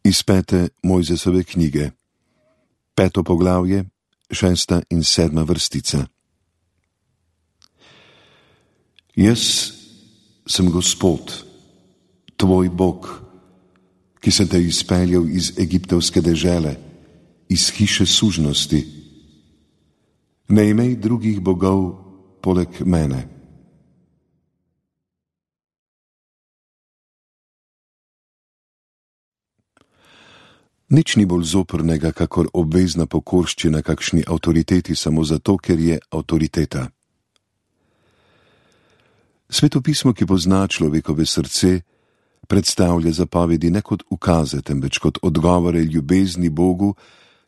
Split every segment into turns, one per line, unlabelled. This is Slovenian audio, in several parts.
Iz 5. Mojzesove knjige, 5. poglavje, 6. in 7. vrstica. Jaz sem Gospod, tvoj Bog, ki sem te izpeljal iz egiptovske dežele, iz hiše sužnosti. Ne imej drugih bogov poleg mene. Nič ni bolj zoprnega, kakor obvezna pokorščina kakšni avtoriteti samo zato, ker je avtoriteta. Svetopismo, ki pozna človekove srce, predstavlja zapovedi ne kot ukaze, temveč kot odgovore ljubezni Bogu,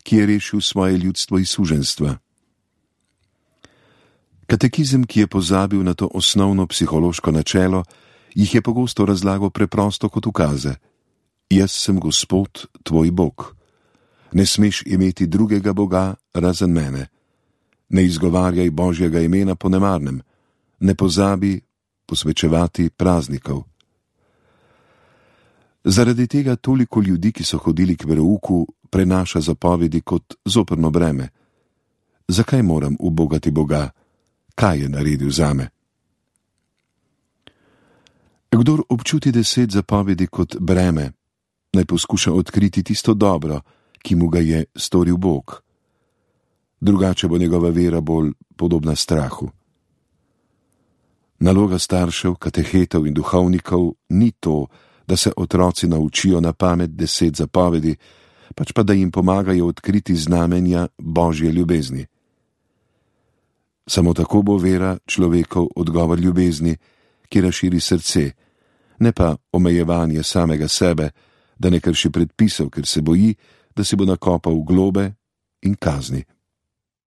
ki je rešil svoje ljudstvo iz suženjstva. Katekizem, ki je pozabil na to osnovno psihološko načelo, jih je pogosto razlagal preprosto kot ukaze. Jaz sem Gospod, tvoj Bog. Ne smeš imeti drugega Boga razen mene. Ne izgovarjaj Božjega imena po nemarnem. Ne pozabi posvečevati praznikov. Zaradi tega toliko ljudi, ki so hodili k verouku, prenaša zapovedi kot zoprno breme. Zakaj moram ubogati Boga? Kaj je naredil zame? Kdor občuti 10 zapovedi kot breme, naj poskuša odkriti tisto dobro, ki mu ga je storil Bog. Drugače bo njegova vera bolj podobna strahu. Naloga staršev, katehetov in duhovnikov ni to, da se otroci naučijo na pamet 10 zapovedi, pač pa da jim pomagajo odkriti znamenja Božje ljubezni. Samo tako bo vera človekov odgovor ljubezni, ki razširi srce, ne pa omejevanje samega sebe, da ne krši predpisov, ker se boji, da si bo nakopal globe in kazni.